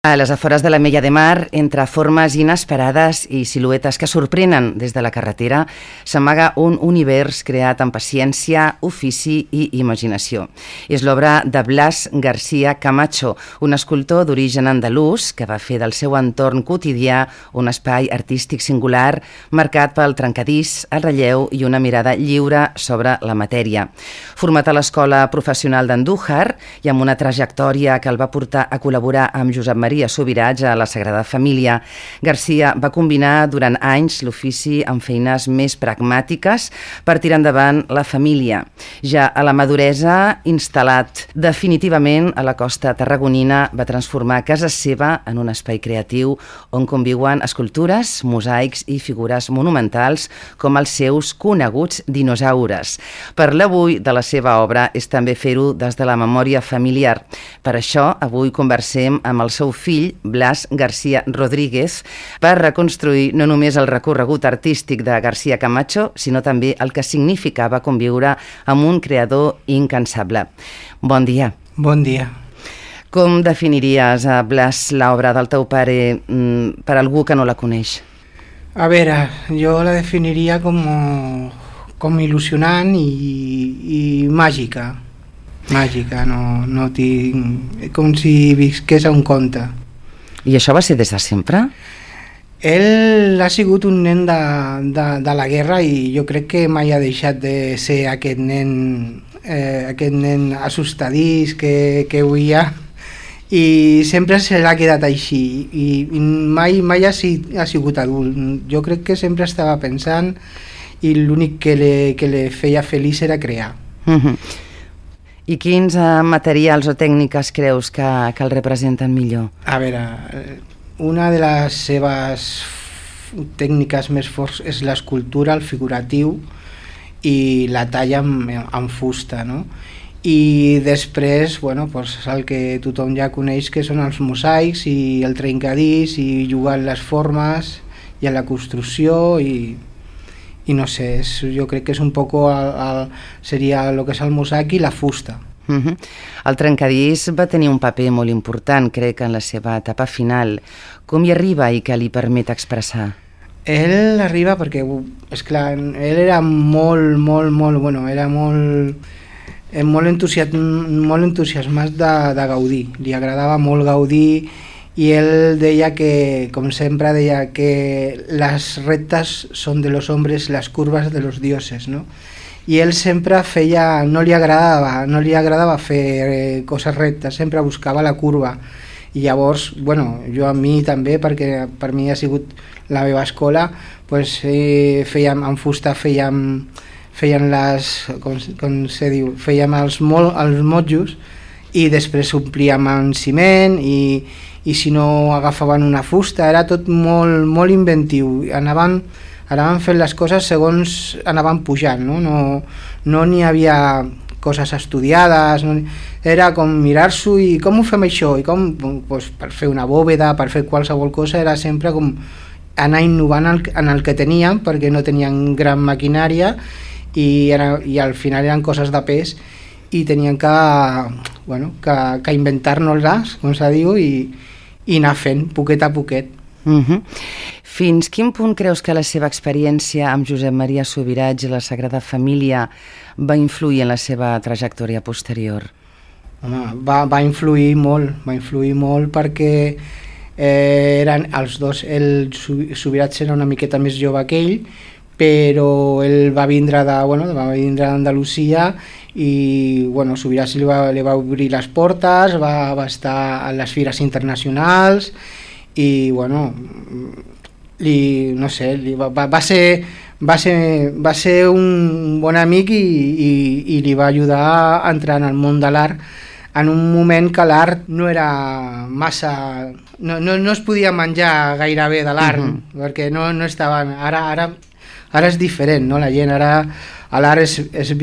A les afores de l'Ametlla de Mar, entre formes inesperades i siluetes que sorprenen des de la carretera, s'amaga un univers creat amb paciència, ofici i imaginació. És l'obra de Blas García Camacho, un escultor d'origen andalús que va fer del seu entorn quotidià un espai artístic singular marcat pel trencadís, el relleu i una mirada lliure sobre la matèria. Format a l'Escola Professional d'Andújar i amb una trajectòria que el va portar a col·laborar amb Josep Maria Subirats a la Sagrada Família, García va combinar durant anys l'ofici amb feines més pragmàtiques per tirar endavant la família. Ja a la maduresa, instal·lat definitivament a la costa tarragonina, va transformar casa seva en un espai creatiu on conviuen escultures, mosaics i figures monumentals com els seus coneguts dinosaures. Parlar avui de la seva obra és també fer-ho des de la memòria familiar. Per això, avui conversem amb el seu fill, Blas García Rodríguez, per reconstruir no només el recorregut artístic de García Camacho, sinó també el que significava conviure amb un creador incansable. Bon dia. Bon dia. Com definiries, Blas, l'obra del teu pare per algú que no la coneix? A veure, jo la definiria com il·lusionant i màgica. Màgica, no tinc... com si visqués a un conte. I això va ser des de sempre? Ell ha sigut un nen de la guerra i jo crec que mai ha deixat de ser aquest nen assustadís que huia, i sempre se l'ha quedat així i mai ha sigut adult. Jo crec que sempre estava pensant i l'únic que li feia feliç era crear. I quins materials o tècniques creus que el representen millor? A veure, una de les seves tècniques més forts és l'escultura, el figuratiu i la talla amb fusta, no? I després, bueno, pues el que tothom ja coneix, que són els mosaics i el trencadís i jugar amb les formes i a la construcció i no sé, jo crec que és un poc seria el que és el mosaic i la fusta. El trencadís va tenir un paper molt important, crec, en la seva etapa final. Com hi arriba i què li permet expressar? Ell arriba perquè, esclar, ell era molt entusiasmat de Gaudí, li agradava molt Gaudí. I ell deia que, com sempre, deia que les rectes són de los hombres, les curves de los dioses, no? I ell sempre no li agradava fer coses rectes, sempre buscava la curva. I llavors, bueno, jo a mi també, perquè per mi ha sigut la meva escola, pues, fèiem amb fusta, feien les, com se diu, fèiem els motjos i després omplíem amb ciment i si no agafaven una fusta, era tot molt inventiu. Anaven fent les coses segons anaven pujant, no n'hi havia coses estudiades, era com mirar-s'ho i com ho fem això, i com, doncs, per fer una bòveda, per fer qualsevol cosa, era sempre com anar innovant en el que teníem, perquè no tenien gran maquinària i al final eren coses de pes i tenien que inventar-nos-les, com se diu, i anar fent poquet a poquet. Fins quin punt creus que la seva experiència amb Josep Maria Subirats i la Sagrada Família va influir en la seva trajectòria posterior? Home, va influir molt perquè eren els dos. El Subirats era una miqueta més jove que ell, però ell va vindre d'Andalusia i Subirats li va obrir les portes, va estar a les fires internacionals i va ser un bon amic i li va ajudar a entrar en el món de l'art en un moment que l'art no era massa... no es podia menjar gairebé de l'art, perquè no estaven... Ara és diferent, no? La gent ara a l'art es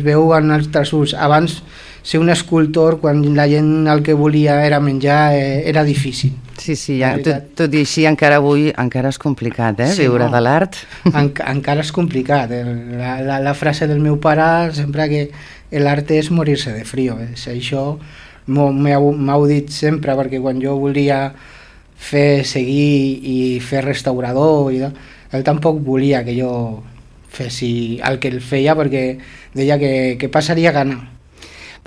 veu en altres ulls. Abans ser un escultor, quan la gent el que volia era menjar, era difícil. Sí, tot i així encara avui és complicat, viure de l'art. Encara és complicat. La frase del meu pare sempre que l'art és morir-se de frío. Això m'heu dit sempre, perquè quan jo volia seguir i fer restaurador, ell tampoc volia que jo fessi el que ell feia, perquè deia que passaria gana.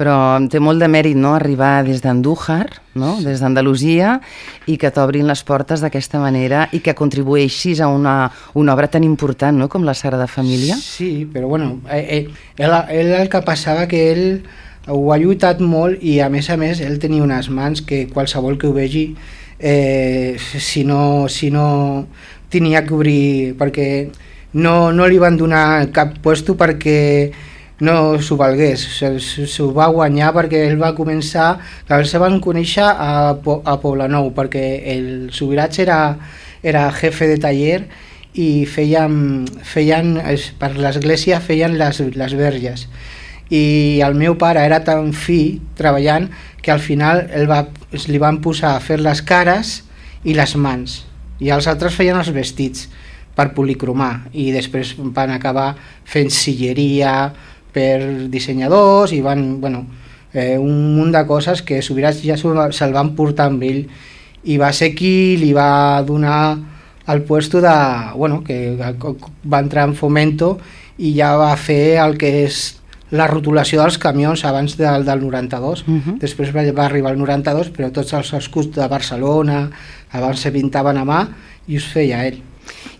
Però té molt de mèrit, no?, arribar des d'Andújar, no?, des d'Andalusia, i que t'obrin les portes d'aquesta manera i que contribueixis a una obra tan important, no?, com la Sagrada Família. Sí, però bueno, ell el que passava que ell ho ha lluitat molt i a més ell tenia unes mans que qualsevol que ho vegi si no tenia que obrir, perquè no li van donar cap puesto perquè no s'ho valgués, s'ho va guanyar perquè ell va començar, que ells se van conèixer a Poblenou, perquè el Subirats era jefe de taller i feien per l'església feien les verges, i el meu pare era tan fi treballant que al final li van posar a fer les cares i les mans, i els altres feien els vestits per policromar, i després van acabar fent silleria per dissenyadors i van, un munt de coses que Subirats ja se'l van portar amb ell, i va ser qui li va donar el puesto que va entrar en Fomento i ja va fer el que és la rotulació dels camions abans del 92. Després va arribar el 92, però tots els escuts de Barcelona abans se pintaven a mà i us feia ell.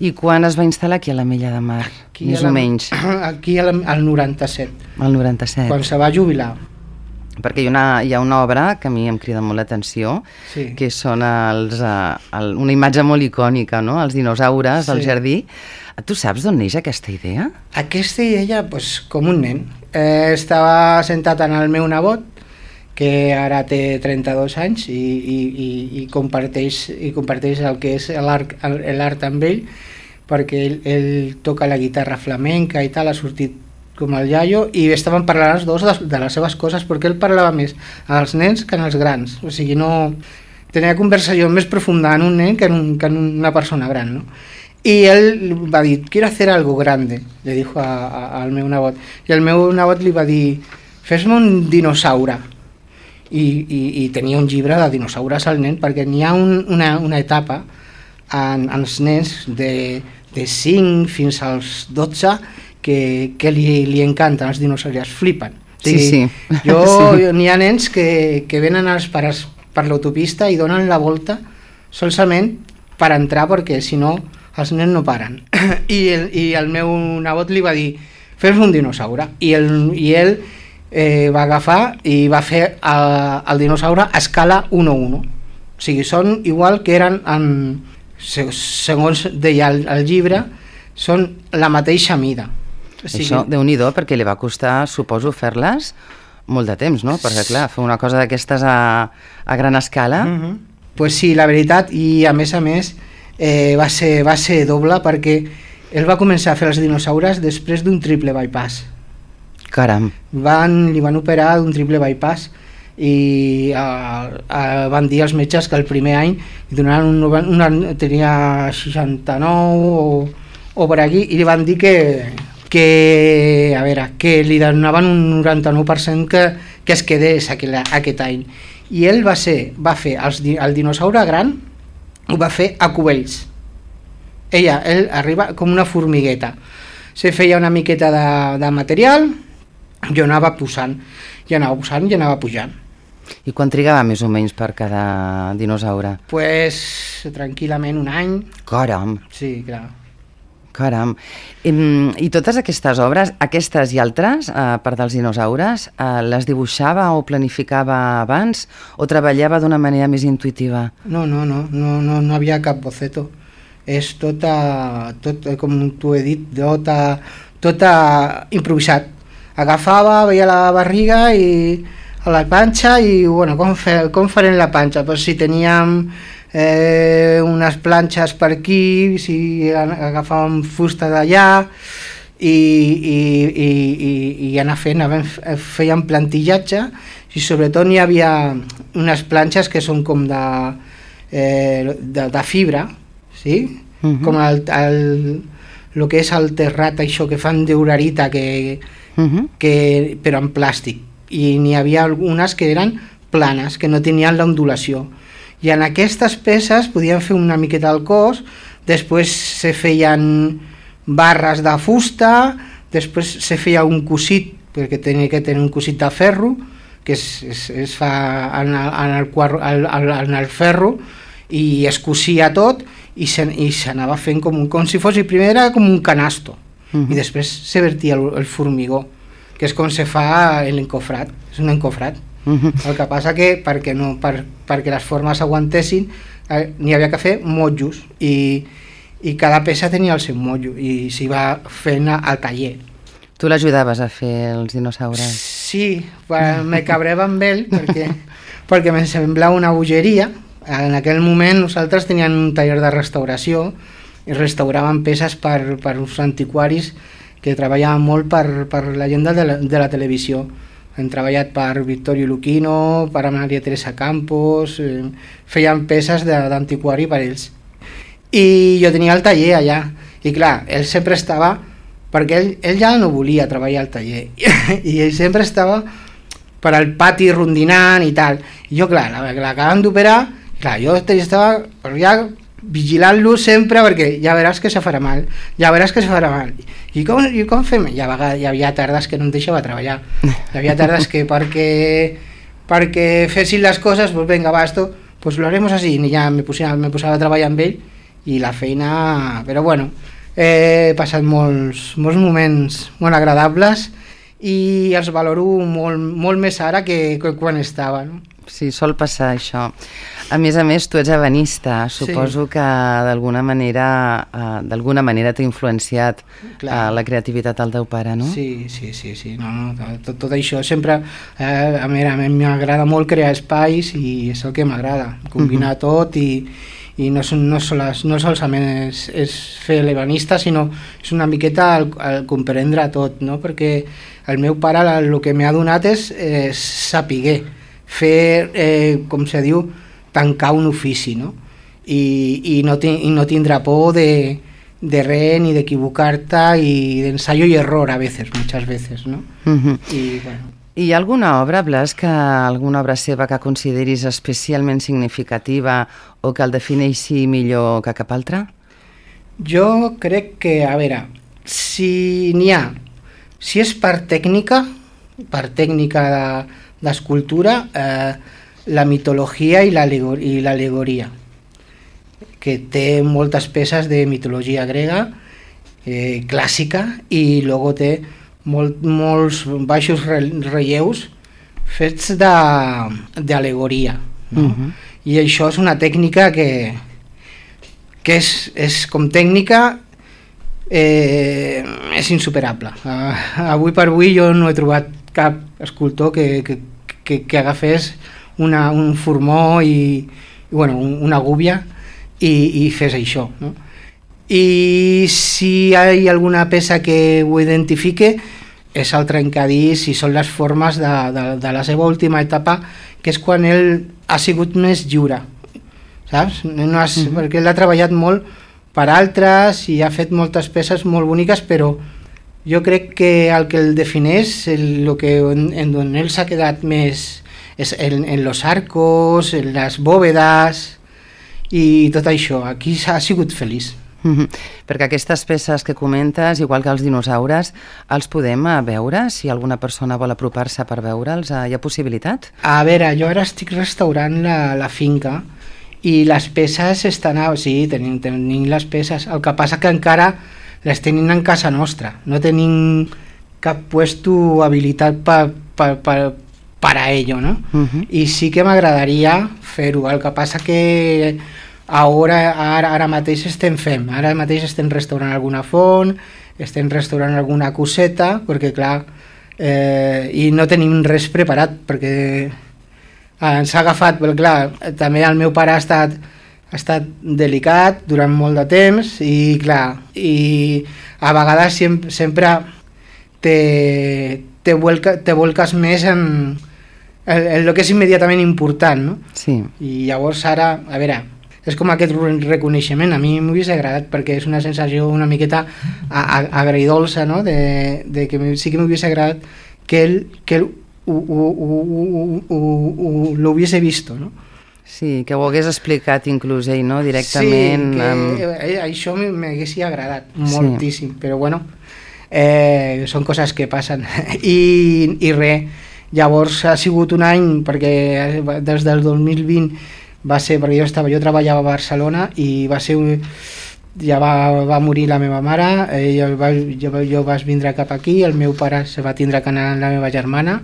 I quan es va instal·lar aquí a l'Ametlla de Mar, més o menys? Aquí al 97. Al 97. Quan se va jubilar. Perquè hi ha una obra que a mi em crida molt l'atenció, sí, que són una imatge molt icònica, no?, els dinosaures, sí, al jardí. Tu saps d'on neix aquesta idea? Aquesta idea, com un nen. Estava sentat en el meu nebot, que ara té 32 anys i comparteix el que és l'art amb ell, perquè ell toca la guitarra flamenca i tal, ha sortit com el iaio, i estaven parlant els dos de les seves coses, perquè ell parlava més als nens que als grans, o sigui, no tenia conversació més profunda en un nen que en una persona gran, no? Y él va a decir, quiero hacer algo grande, le dijo al meu nebot, i el meu nebot li va dir, fes-me un dinosaure, i tenia un llibre de dinosaures al nen, perquè n'hi ha una etapa en els nens de 5 fins als 12 que li encanten els dinosaures, flipen. O sigui, sí. N'hi ha nens que venen els pares per l'autopista i donen la volta solament per entrar, perquè si no els nens no paren. I el meu nebot li va dir, fes-me un dinosaure, i ell va agafar i va fer el dinosaure a escala 1:1. O sigui, són igual que eren, segons deia el llibre, són la mateixa mida. O sigui, això, Déu-n'hi-do, perquè li va costar, suposo, fer-les molt de temps, no? Perquè, clar, fer una cosa d'aquestes a gran escala... Pues sí, la veritat, i a més va ser doble, perquè ell va començar a fer els dinosaures després d'un triple bypass. Caram. Li van operar d'un triple bypass i van dir als metges que el primer any tenia 69 o per aquí, i li van dir que li donaven un 99% que es quedés aquest any. I ell va fer el dinosaure gran, ho va fer a cubells. Ell arriba com una formigueta. Se feia una miqueta de material, jo anava posant i anava pujant. I quan trigava més o menys per cada dinosaure? Pues tranquil·lament un any. Caram. Sí, clar. Caram. I totes aquestes obres, aquestes i altres, part dels dinosaures, les dibuixava o planificava abans o treballava d'una manera més intuïtiva? No havia cap boceto. És tot, com t'ho he dit, tot improvisat. Agafava, veia la barriga i a la panxa i, com farem la panxa? Pues si teníem unes planxes per aquí, si agafàvem fusta d'allà i anar fèiem plantillatge, i sobretot n'hi havia unes planxes que són com de fibra, sí? Com el que és el terrat, això que fan d'urarita, però en plàstic, i n'hi havia algunes que eren planes, que no tenien l'ondulació. I en aquestes peces podien fer una miqueta al cos, després se feien barres de fusta, després se feia un cosit, perquè tenia que tenir un cosit de ferro, que es fa en el ferro, i es cosia tot, i s'anava fent com si fos, i primer era com un canasto, i després se vertia el formigó, que és com se fa l'encofrat, és un encofrat. El que passa que perquè les formes aguantessin n'hi havia que fer motllos, i cada peça tenia el seu motllo, i s'hi va fent al taller. Tu l'ajudaves a fer els dinosaures? Sí, me cabreva amb ell perquè me semblava una bogeria. En aquell moment nosaltres teníem un taller de restauració i restauràvem peces per uns antiquaris que treballaven molt per la gent de la televisió. Hem treballat per Vittorio Luchino, per Maria Teresa Campos, feien peces d'antiquari per ells. I jo tenia el taller allà, i clar, ell sempre estava, perquè ell ja no volia treballar al taller, i ell sempre estava per al pati rondinant i tal. I jo, clar, l'acaben d'operar, clar, jo estava ja vigilant-lo sempre, perquè ja veràs que se farà mal, ja veràs que se farà mal. I com fem? Hi havia tardes que no em deixava treballar, hi havia tardes que perquè fessin les coses, pues venga, va, esto, pues lo haremos así, i ja me posava a treballar amb ell, i la feina, però bueno, he passat molts moments molt agradables i els valoro molt més ara que quan estava, no? Sí, sol passar això. A més, tu ets ebenista. Suposo que d'alguna manera t'ha influenciat la creativitat del teu pare, no? Sí. No, tot això sempre... A mi m'agrada molt crear espais i és el que m'agrada, combinar tot i no solament és fer l'ebenista, sinó és una miqueta el comprendre tot, no? Perquè el meu pare el que m'ha donat és saber fer, com se diu, tancar un ofici, no? I no tindrà por de res ni d'equivocar-te i d'ensayo y error muchas veces, no? I bueno. Hi ha alguna obra, Blas, alguna obra seva que consideris especialment significativa o que el defineixi millor que cap altra? Jo crec que, a veure, si és per tècnica d'escultura, la mitologia i l'alegoria, que té moltes peces de mitologia grega clàssica, i luego té molts baixos relleus fets d'alegoria, no? I això és una tècnica que és com tècnica és insuperable. Avui per avui jo no he trobat cap escultor que agafés un formó i una gúbia i fes això, no? I si hi ha alguna peça que ho identifique és el trencadís i són les formes de la seva última etapa, que és quan ell ha sigut més lliure, saps? Perquè ell ha treballat molt per altres i ha fet moltes peces molt boniques, però jo crec que el que el defineix, en on ell s'ha quedat més, és en los arcos, en les bòvedes i tot això. Aquí ha sigut feliç. Perquè aquestes peces que comentes, igual que els dinosaures, els podem veure? Si alguna persona vol apropar-se per veure'ls, hi ha possibilitat? A veure, jo ara estic restaurant la finca i les peces estan... Sí, tenim les peces. El que passa que encara les tenim en casa nostra. No tenim cap puesto habilitat para ello, no? I sí que m'agradaria fer-ho. El que passa que ara mateix estem restaurant alguna font, estem restaurant alguna coseta, perquè clar, i no tenim res preparat, perquè ens ha agafat, però clar, també el meu pare ha estat delicat durant molt de temps, i clar, i a vegades sempre te volques més en el que és immediatament important, no? Sí. I llavors ara, a veure, és com aquest reconeixement, a mi m'hagués agradat, perquè és una sensació una miqueta agridolça, no? De que sí que m'hagués agradat que ell lo hubiese visto, no? Sí, que ho hagués explicat inclús ell, no? Directament. Sí, que això m'haguessi agradat moltíssim, però bueno, són coses que passen. I res, llavors ha sigut un any, perquè des del 2020 va ser, perquè jo treballava a Barcelona i va ser ja va morir la meva mare, jo vaig vindre cap aquí, el meu pare se va tindre que anar amb la meva germana,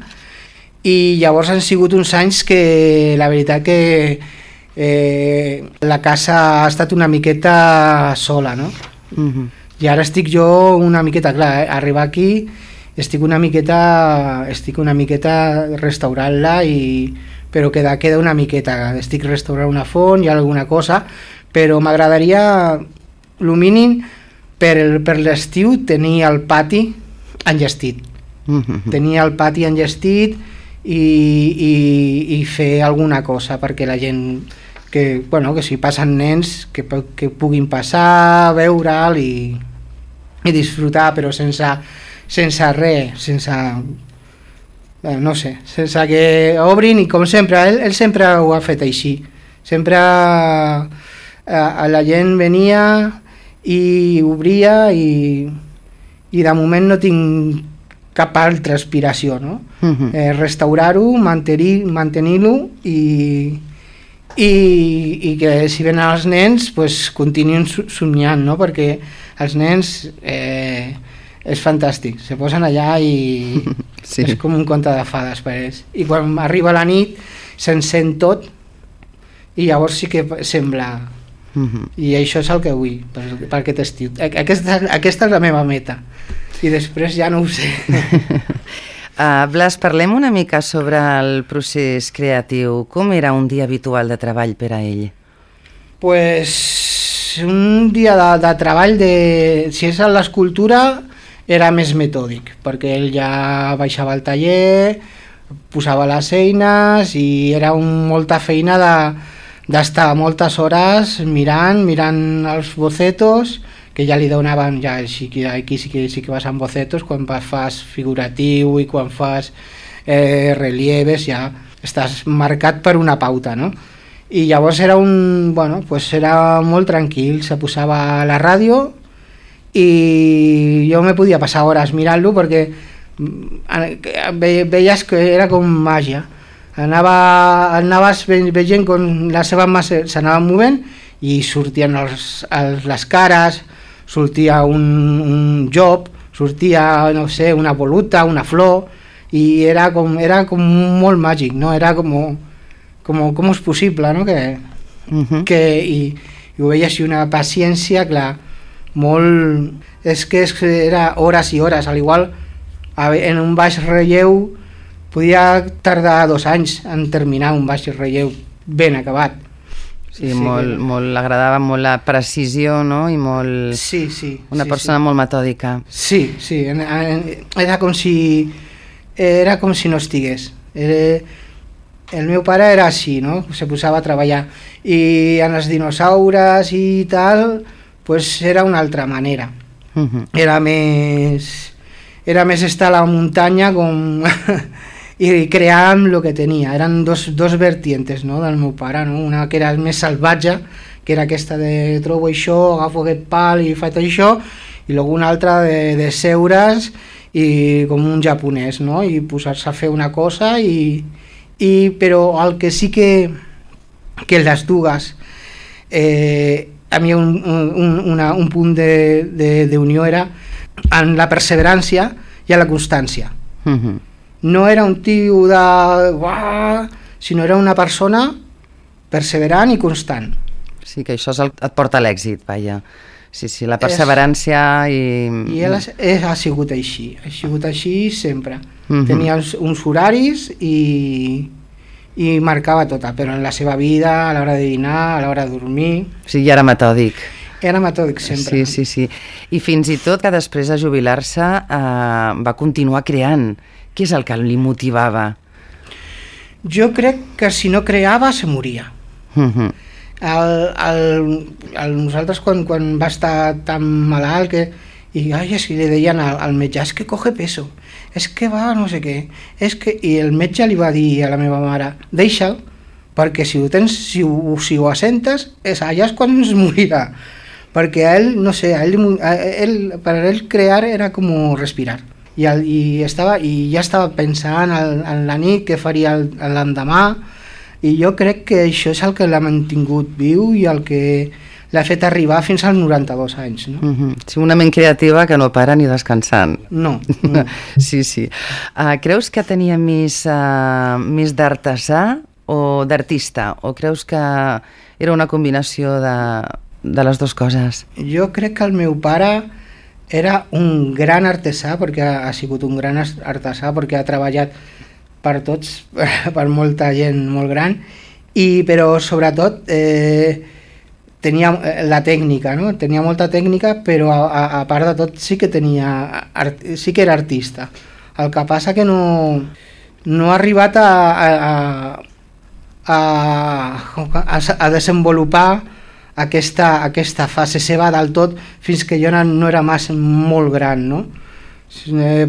i llavors han sigut uns anys que la veritat que la casa ha estat una miqueta sola, no? I ara estic jo una miqueta, clar, arribar aquí estic una miqueta restaurant-la, però queda una miqueta, estic restaurant una font i alguna cosa, però m'agradaria, el mínim, per l'estiu tenir el pati enllestit, tenir el pati enllestit i fer alguna cosa perquè la gent que si passen nens que puguin passar, veure'l i disfrutar, però sense res, no sé, sense que obrin, i com sempre, ell sempre ho ha fet així, sempre la gent venia i obria i de moment no tinc cap altra aspiració, no? Restaurar-ho, mantenir-lo i que si venen els nens pues, continuïn somiant, no? Perquè els nens és fantàstic, se posen allà i sí. És com un conte de fades per ells, i quan arriba la nit s'encén tot i llavors sí que sembla i això és el que vull per aquest estiu. Aquesta és la meva meta i després ja no ho sé. Blas, parlem una mica sobre el procés creatiu. Com era un dia habitual de treball per a ell? Pues un dia de treball, si és a l'escultura, era més metòdic, perquè ell ja baixava al taller, posava les eines i era molta feina d'estar moltes hores mirant els bocetos, que ja li donaven, ja aquí sí que vas amb bocetos, quan fas figuratiu i quan fas relieves ja estàs marcat per una pauta, no? I llavors era era molt tranquil, se posava a la ràdio i jo me podia passar hores mirant-lo perquè veies que era com màgia. Anaves veient com la seva mà s'anava movent i sortien les cares, sortia un job, sortia, no sé, una voluta, una flor, i era com molt màgic, no? Era com és possible, no? I ho veies, i una paciència, clar, molt... És que era hores i hores, al igual en un baix relleu podia tardar 2 anys en terminar un baix relleu ben acabat. Sí, molt agradava molt la precisió, no? I molt... Sí. Una persona molt metòdica. Sí. Era com si no estigués. El meu pare era així, no? Se posava a treballar. I en els dinosaures i tal, pues era una altra manera. Era més estar a la muntanya com... i crear amb el que tenia. Eren dos vertientes, no, del meu pare, no? Una que era més salvatge, que era aquesta de trobo això, agafo aquest pal i faig això, i una altra de seure's i com un japonès, no? I posar-se a fer una cosa però el que sí que les dues a mi un punt d'unió era en la perseverància i en la constància. No era un tio sinó era una persona perseverant i constant. Sí, que això et porta a l'èxit, vaja. Sí, la perseverància i ell ha sigut així sempre. Tenia uns horaris i marcava tota, però en la seva vida, a l'hora de dinar, a l'hora de dormir... Sí, i era metòdic. Era metòdic sempre. Sí. I fins i tot que després de jubilar-se va continuar creant. Què és el que li motivava? Jo crec que si no creava se moria. Nosaltres quan va estar tan malalt i si li deien al metge, és que coge peso, és que va no sé què, i el metge li va dir a la meva mare, deixa'l, perquè si ho assentes, allà és quan es morirà, perquè a ell, no sé, per a ell crear era com respirar, i ja estava pensant en la nit que faria l'endemà, i jo crec que això és el que l'ha mantingut viu i el que l'ha fet arribar fins als 92 anys. No? Sí, una ment creativa que no para ni descansant. No. Sí. Creus que tenia més d'artesà o d'artista? O creus que era una combinació de les dues coses? Jo crec que el meu pare era un gran artesà, perquè ha sigut un gran artesà, perquè ha treballat per tots, per molta gent molt gran, però sobretot tenia la tècnica, no? Tenia molta tècnica, però a part de tot sí que era artista. El que passa que no ha arribat a desenvolupar aquesta fase seva del tot fins que jo no era molt gran, no?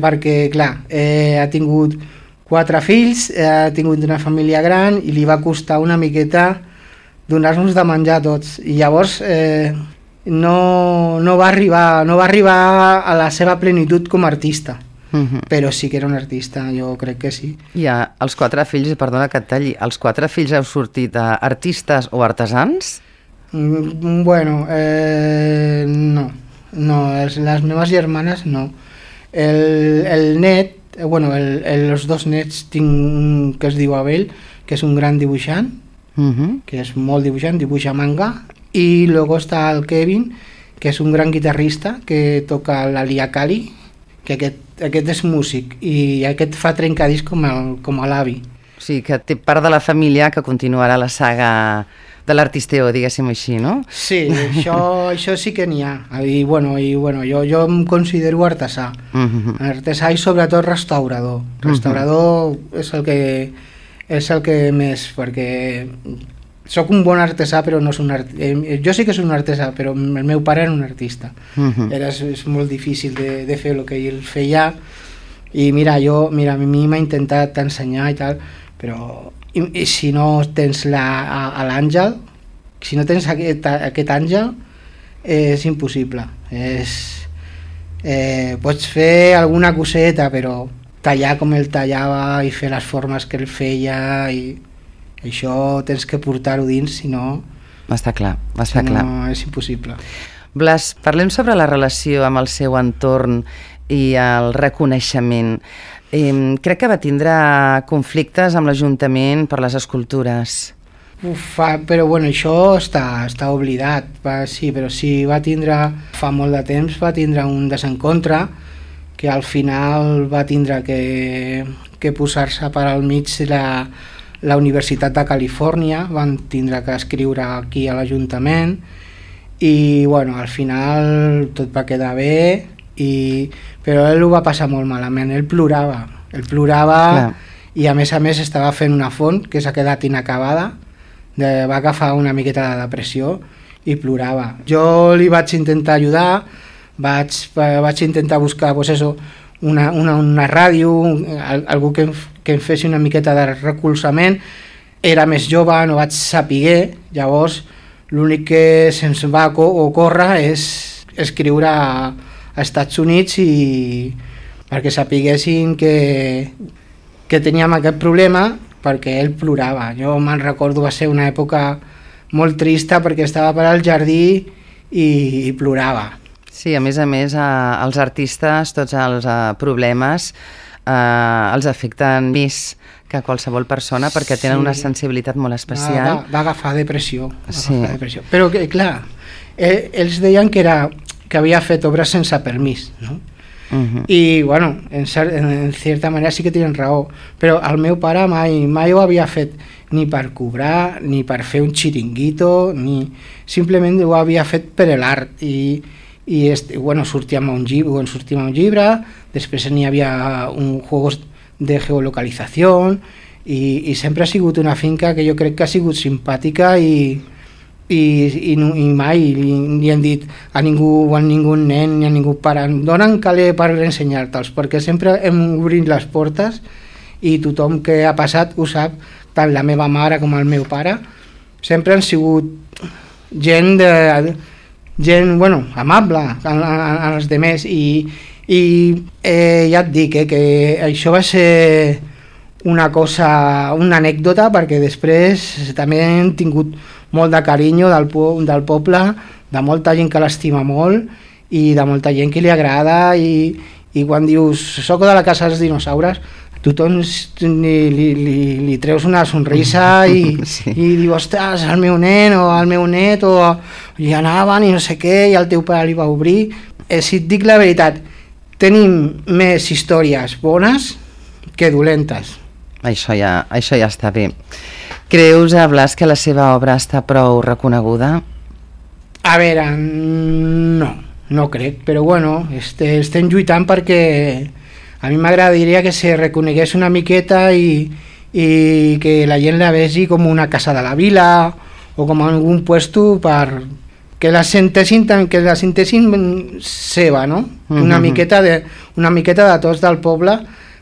Perquè, clar, ha tingut 4 fills, ha tingut una família gran i li va costar una miqueta donar-nos de menjar tots, i llavors no va arribar a la seva plenitud com a artista, però sí que era un artista, jo crec que sí. I els 4 fills, perdona que et talli, els 4 fills heu sortit artistes o artesans? Bueno, no, les meves germanes no. El net, bueno, els 2 nets tinc un que es diu Abel, que és un gran dibuixant, que és molt dibuixant, dibuixa manga, i luego està el Kevin, que és un gran guitarrista que toca la liakali, que aquest és músic, i aquest fa trencadís com l'avi. O sigui, que té part de la família que continuarà la saga de l'artisteo, diguéssim així, no? Sí, això sí que n'hi ha. I bueno, jo em considero artesà. Artesà i sobretot restaurador. Restaurador és el que més, perquè sóc un bon artesà, però no és un artista. Jo sí que soc un artesà, però el meu pare era un artista. És molt difícil de fer el que ell feia, i mira, a mi m'ha intentat ensenyar i tal, però i si no tens l'àngel, si no tens aquest àngel, és impossible. Pots fer alguna coseta, però tallar com ell tallava i fer les formes que ell feia, i això tens que portar-ho dins, si no... Està clar. No, és impossible. Blas, parlem sobre la relació amb el seu entorn i el reconeixement. Crec que va tindre conflictes amb l'Ajuntament per les escultures. Però bueno, això està oblidat. Sí, però sí, va tindre, fa molt de temps, va tindre un desencontre, que al final va tindre que posar-se per al mig la Universitat de Califòrnia, van tindre que escriure aquí a l'Ajuntament, i bueno, al final tot va quedar bé, però ell ho va passar molt malament, ell plorava, clar. I a més estava fent una font que s'ha quedat inacabada, va agafar una miqueta de depressió i plorava. Jo li vaig intentar ajudar, vaig intentar buscar una ràdio, algú que em fes una miqueta de recolzament. Era més jove, no vaig saber, llavors l'únic que se'ns va ocórrer és escriure a Estats Units perquè sapiguessin que teníem aquest problema, perquè ell plorava. Jo me'n recordo, va ser una època molt trista perquè estava per al jardí i plorava. Sí, a més, els artistes, tots els problemes els afecten més que qualsevol persona, perquè tenen una sensibilitat molt especial. Va agafar depressió. Però, clar, ells deien que havia fet obres sense permís, no? I, bueno, en certa manera sí que tenen raó, però el meu pare mai ho havia fet ni per cobrar, ni per fer un xiringuito, simplement ho havia fet per l'art, i bueno, sortíem a un llibre, després n'hi havia un juegos de geolocalització, i sempre ha sigut una finca que jo crec que ha sigut simpàtica, i i mai li hem dit a ningú nen ni a ningú pare, donen caler per ensenyar-te'ls, perquè sempre hem obrit les portes i tothom que ha passat ho sap, tant la meva mare com el meu pare sempre han sigut gent amable als demés i ja et dic que això va ser una anècdota, perquè després també hem tingut molt de carinyo del poble, de molta gent que l'estima molt i de molta gent que li agrada i quan dius soc de la casa dels dinosaures tothom li treus una sonrisa i diu, ostres, el meu nen o el meu net o hi anaven i no sé què i el teu pare li va obrir. Si et dic la veritat, tenim més històries bones que dolentes. Això ja està bé. Creus, Blas, que la seva obra està prou reconeguda? A veure, no crec, però bueno, estem lluitant perquè a mi m'agradaria que se reconegués una miqueta i que la gent la vegi com una casa de la vila o com algun puesto per que la sentessin seva, no? Una miqueta de tots del poble,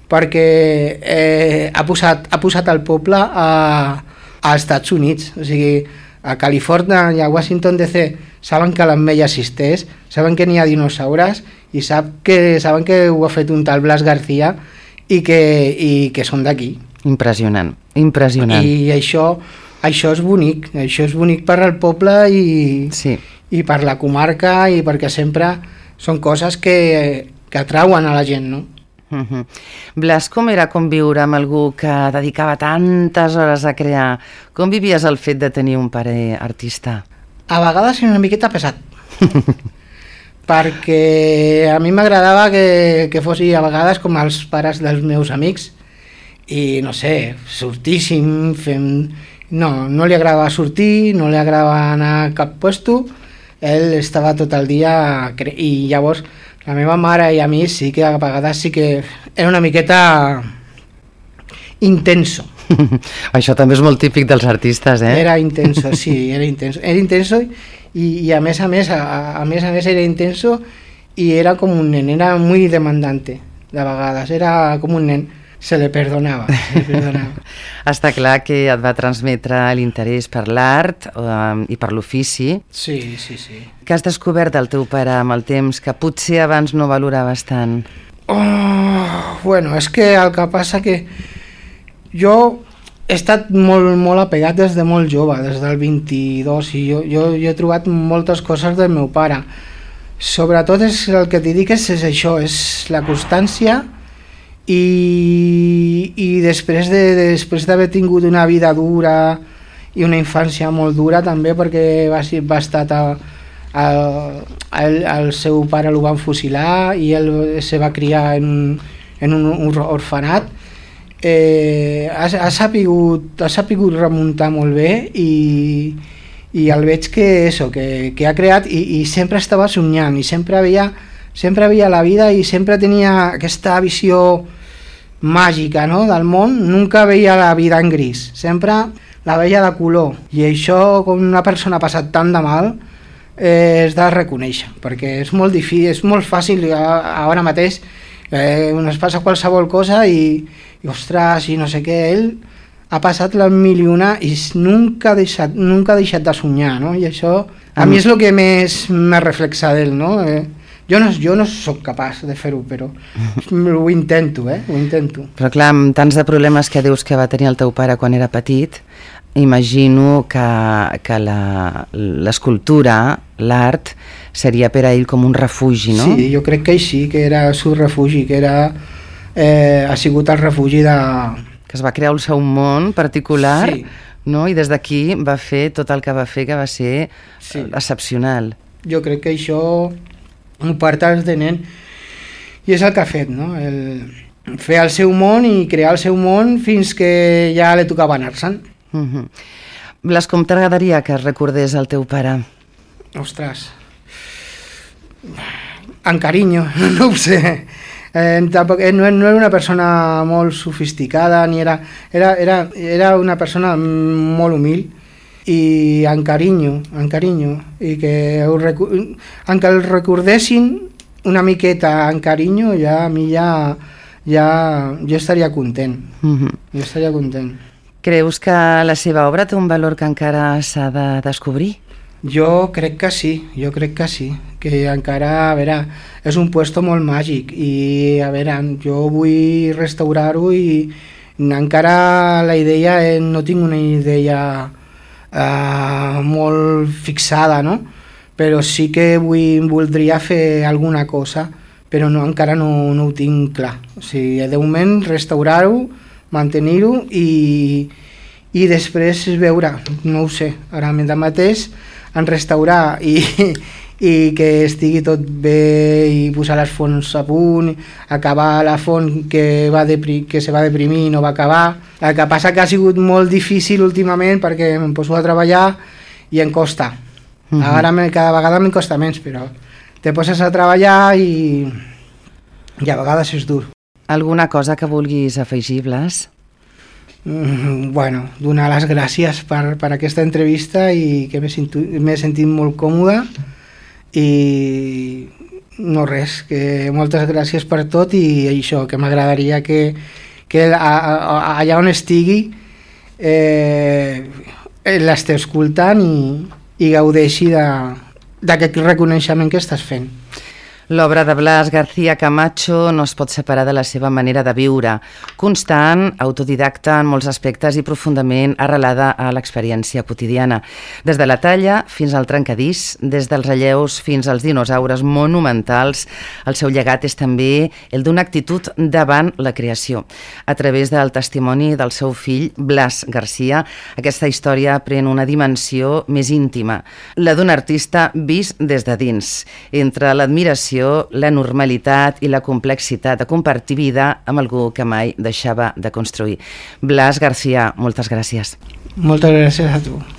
perquè ha posat el poble als Estats Units, o sigui, a Califòrnia i a Washington DC saben que l'ametlla existeix, saben que n'hi ha dinosaures i saben que ho ha fet un tal Blas García i que són d'aquí. Impressionant. I això és bonic per al poble i per la comarca i perquè sempre són coses que atrauen a la gent, no? Blas, com era conviure amb algú que dedicava tantes hores a crear? Com vivies el fet de tenir un pare artista? A vegades era una miqueta pesat perquè a mi m'agradava que fossi a vegades com els pares dels meus amics i no sé, sortíssim no li agradava sortir, no li agradava anar a cap puesto, ell estava tot el dia i llavors la meva mare i a mi sí que a vegades sí que era una miqueta intenso. Això també és molt típic dels artistes, eh? Era intenso, sí, era intenso i a més era intenso i era com un nen, era muy demandante de vegades, era com un nen, se le perdonava. Està clar que et va transmetre l'interès per l'art i per l'ofici. Sí. Que has descobert del teu pare amb el temps que potser abans no valoraves tant? Bueno, és que el que passa que jo he estat molt apegat des de molt jove, des del 22, i jo he trobat moltes coses del meu pare. Sobretot el que t'hi dic és això, és la constància i després d'haver tingut una vida dura i una infància molt dura també, perquè va estar el seu pare el van fusilar i ell se va criar en un orfenat. Ha sapigut remuntar molt bé i el veig que ha creat i sempre estava somiant i sempre veia la vida i sempre tenia aquesta visió màgica, no?, del món. Nunca veia la vida en gris, sempre la veia de color, i això, com una persona ha passat tant de mal, és de reconèixer, perquè és molt difícil, és molt fàcil ara mateix es passa qualsevol cosa i ostres, i no sé què. Ell ha passat la mil i una i nunca ha deixat de somiar, no? I això a mi és el que més me reflexa d'ell, no? Jo no sóc capaç de fer-ho, però ho intento, ho intento. Però clar, amb tants de problemes que dius que va tenir el teu pare quan era petit, imagino que l'escultura, l'art, seria per a ell com un refugi, no? Sí, jo crec que sí, que era el seu refugi, que ha sigut el refugi de... Que es va crear el seu món particular, sí, no? I des d'aquí va fer tot el que va fer, que va ser excepcional. Jo crec que això ho partes de nen i és el que ha fet, no? Fer el seu món i crear el seu món fins que ja li tocava anar-se'n. Blas, com t'agradaria que es recordés el teu pare? Ostres, amb carinyo, no ho sé. No era una persona molt sofisticada, ni era una persona molt humil i encarinyo, i que encara el recordessin una miqueta en carinyo, ja a mi ja jo estaria content. Jo estaria content. Creus que la seva obra té un valor que encara s'ha de descobrir? Jo crec que sí, que encara, a veure, és un puesto molt màgic i, a veure, jo vull restaurar-ho i encara la idea, no tinc una idea molt fixada, no? Però sí que voldria fer alguna cosa, però encara no ho tinc clar. O sigui, de moment restaurar-ho, mantenir-ho i després veure, no ho sé, ara mateix en restaurar i que estigui tot bé i posar les fonts a punt, acabar la font que se va deprimir i no va acabar. El que passa que ha sigut molt difícil últimament perquè em poso a treballar i em costa. Ara cada vegada m'en costa menys, però te poses a treballar i a vegades és dur. Alguna cosa que vulguis afegir, Blas? Bueno, donar les gràcies per aquesta entrevista i que m'he sentit molt còmode i no res, que moltes gràcies per tot i això, que m'agradaria que allà on estigui l'esteu escoltant i gaudeixi d'aquest reconeixement que estàs fent. L'obra de Blas García Camacho no es pot separar de la seva manera de viure, constant, autodidacta en molts aspectes i profundament arrelada a l'experiència quotidiana. Des de la talla fins al trencadís, des dels relleus fins als dinosaures monumentals, el seu llegat és també el d'una actitud davant la creació. A través del testimoni del seu fill, Blas García, aquesta història pren una dimensió més íntima, la d'un artista vist des de dins, entre l'admiració, la normalitat i la complexitat de compartir vida amb algú que mai deixava de construir. Blas García, moltes gràcies. Moltes gràcies a tu.